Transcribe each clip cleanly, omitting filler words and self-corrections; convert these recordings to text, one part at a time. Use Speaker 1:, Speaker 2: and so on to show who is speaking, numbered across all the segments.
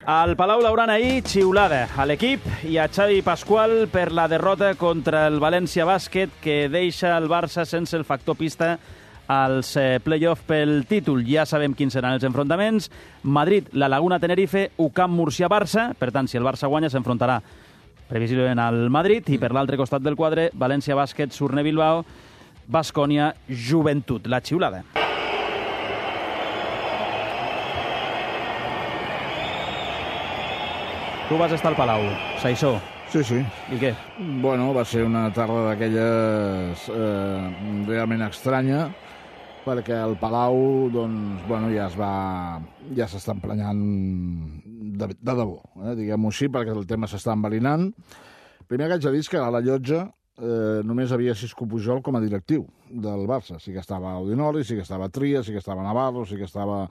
Speaker 1: Al Palau Blaugrana ahir, xiulada a l'equip i a Xavi Pasqual per la derrota contra el València Bàsquet, que deixa el Barça sense el factor pista als play-off pel títol. Ja sabem quins seran els enfrontaments. Madrid, la Laguna, Tenerife, UCAM, Múrcia, Barça. Per tant, si el Barça guanya, s'enfrontarà previsiblement al Madrid. I per l'altre costat del quadre, València Bàsquet, Surne Bilbao, Baskonia, Joventut. La xiulada. Tu vas estar al Palau, Saissó.
Speaker 2: Sí.
Speaker 1: I què?
Speaker 2: Bueno, va ser una tarda d'aquelles realment estranya, perquè el Palau, doncs, bueno, ja s'està emprenyant de debò, diguem-ho així, perquè el tema s'està enverinant. Primer que haig de dir que a la llotja només havia Xisco Pujol com a directiu del Barça. Sí que estava Audinoli, sí que estava Tria, sí que estava Navarro, sí que estava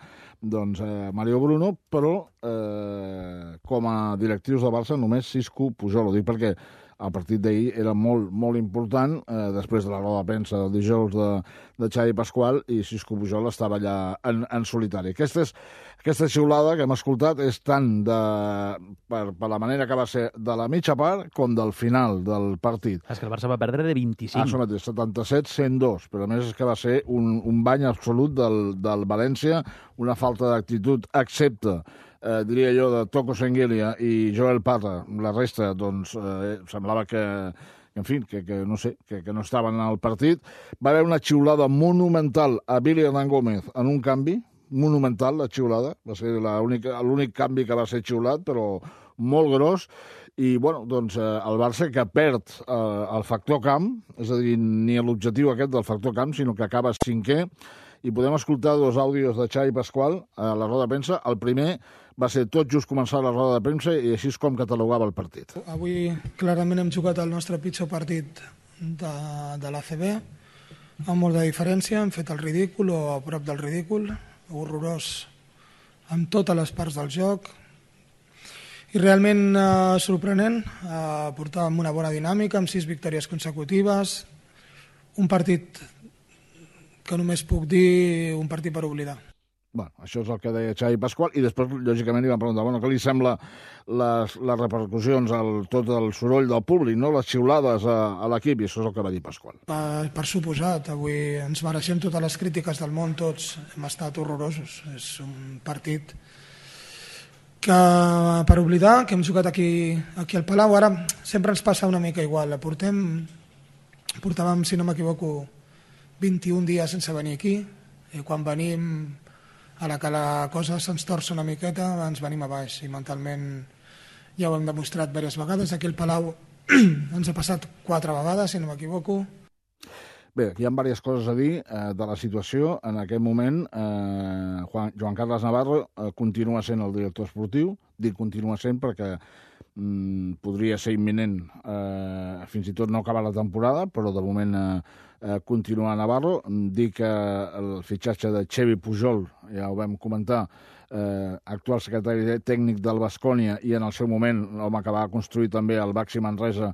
Speaker 2: Mario Bruno, però com a directius del Barça només Xisco Pujol. Ho dic perquè el partit d'ahir era molt, molt important, després de la roda de premsa del dijous de Xavi Pasqual, i Xisco Pujol estava allà en solitari. Aquesta xiulada que hem escoltat és tant per la manera que va ser de la mitja part com del final del partit.
Speaker 1: És que el Barça va perdre de 25.
Speaker 2: Això mateix, 77-102, però a més és que va ser un bany absolut del València, una falta d'actitud, excepte diria jo, de Toko Sengelia i Joel Parra. La resta, doncs, semblava que no sé, que no estaven al partit. Va haver una xiulada monumental a Billy Hernán Gómez en un canvi, monumental, la xiulada. Va ser l'únic canvi que va ser xiulat, però molt gros. I, bueno, doncs, el Barça que perd el factor camp, és a dir, ni l'objectiu aquest del factor camp, sinó que acaba cinquè. I podem escoltar dos àudios de Xavi Pasqual a la roda de premsa. El primer va ser tot just començar la roda de premsa i així és com catalogava el partit.
Speaker 3: Avui clarament hem jugat el nostre pitjor partit de l'ACB, amb molt de diferència. Hem fet el ridícul o a prop del ridícul, horrorós en totes les parts del joc. I realment sorprenent, portàvem una bona dinàmica amb 6 victòries consecutives, un partit que només puc dir un partit per oblidar.
Speaker 2: Bueno, això és el que deia Xavi Pasqual, i després, lògicament, li van preguntar, què li sembla les repercussions, tot el soroll del públic, no? Les xiulades a l'equip, i això és el que va dir Pasqual.
Speaker 3: Per suposat, avui ens mereixem totes les crítiques del món, tots hem estat horrorosos. És un partit que per oblidar, que hem jugat aquí al Palau. Ara sempre ens passa una mica igual. Portàvem, si no m'equivoco, 21 dies sense venir aquí, i quan venim, a la que la cosa se'ns torça una miqueta, ens venim a baix, i mentalment ja ho hem demostrat diverses vegades. Aquí al Palau ens ha passat 4 vegades, si no m'equivoco.
Speaker 2: Bé, hi ha diverses coses a dir de la situació. En aquest moment, Joan Carles Navarro continua sent el director esportiu. Dic continua sent perquè podria ser imminent fins i tot no acabar la temporada, però de moment continua Navarro. Dic que el fitxatge de Xevi Pujol, ja ho vam comentar, actual secretari tècnic del Baskonia, i en el seu moment l'home que va construir també el Baxi Manresa,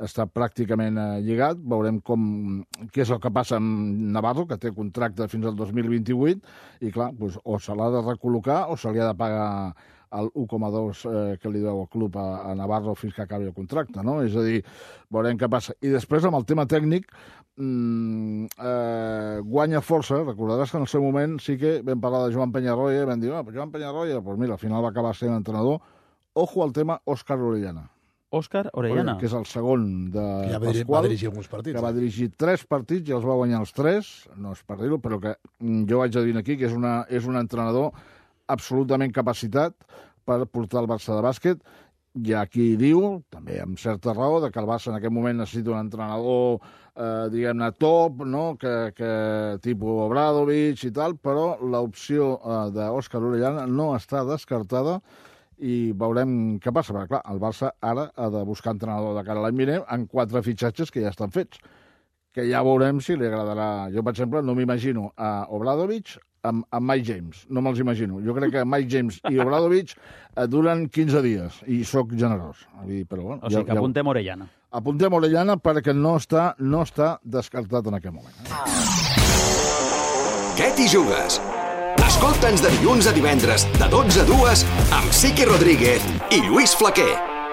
Speaker 2: està pràcticament lligat. Veurem què és el que passa amb Navarro, que té contracte fins al 2028, i clar, doncs, o se l'ha de recol·locar o se li ha de pagar el 1,2 que li deu el club a Navarro fins que acabi el contracte, no? És a dir, veurem què passa. I després, amb el tema tècnic, guanya força. Recordaràs que en el seu moment sí que vam parlar de Joan Peñarroya i vam dir, Joan Peñarroya, doncs mira, al final va acabar sent entrenador. Ojo al tema Òscar Orellana.
Speaker 1: Òscar Orellana.
Speaker 2: Que és el segon de Pasqual.
Speaker 4: Va dirigir alguns partits.
Speaker 2: Que va dirigir 3 partits i els va guanyar els 3. No és per dir-ho, però que jo vaig a dir aquí que és un entrenador absolutament capacitat per portar el Barça de bàsquet. Hi ha qui diu, també amb certa raó, que el Barça en aquest moment necessita un entrenador, diguem-ne, top, no? que tipus Obradovic i tal, però l'opció d'Òscar Orellana no està descartada i veurem què passa, perquè clar, el Barça ara ha de buscar entrenador de cara a l'any vinent en 4 fitxatges que ja estan fets, que ja veurem si li agradarà. Jo, per exemple, no m'imagino a Obradovic amb Mike James, no me'ls imagino. Jo crec que Mike James i Obradovic duren 15 dies, i sóc generós. Però, bueno,
Speaker 1: o sigui que apuntem Orellana.
Speaker 2: Apuntem Orellana perquè no està descartat en aquest moment.
Speaker 5: Què t'hi jugues? A
Speaker 4: Escolta'ns de dilluns a divendres, de 12 a 2, amb Siqui Rodríguez i Lluís Flaquer.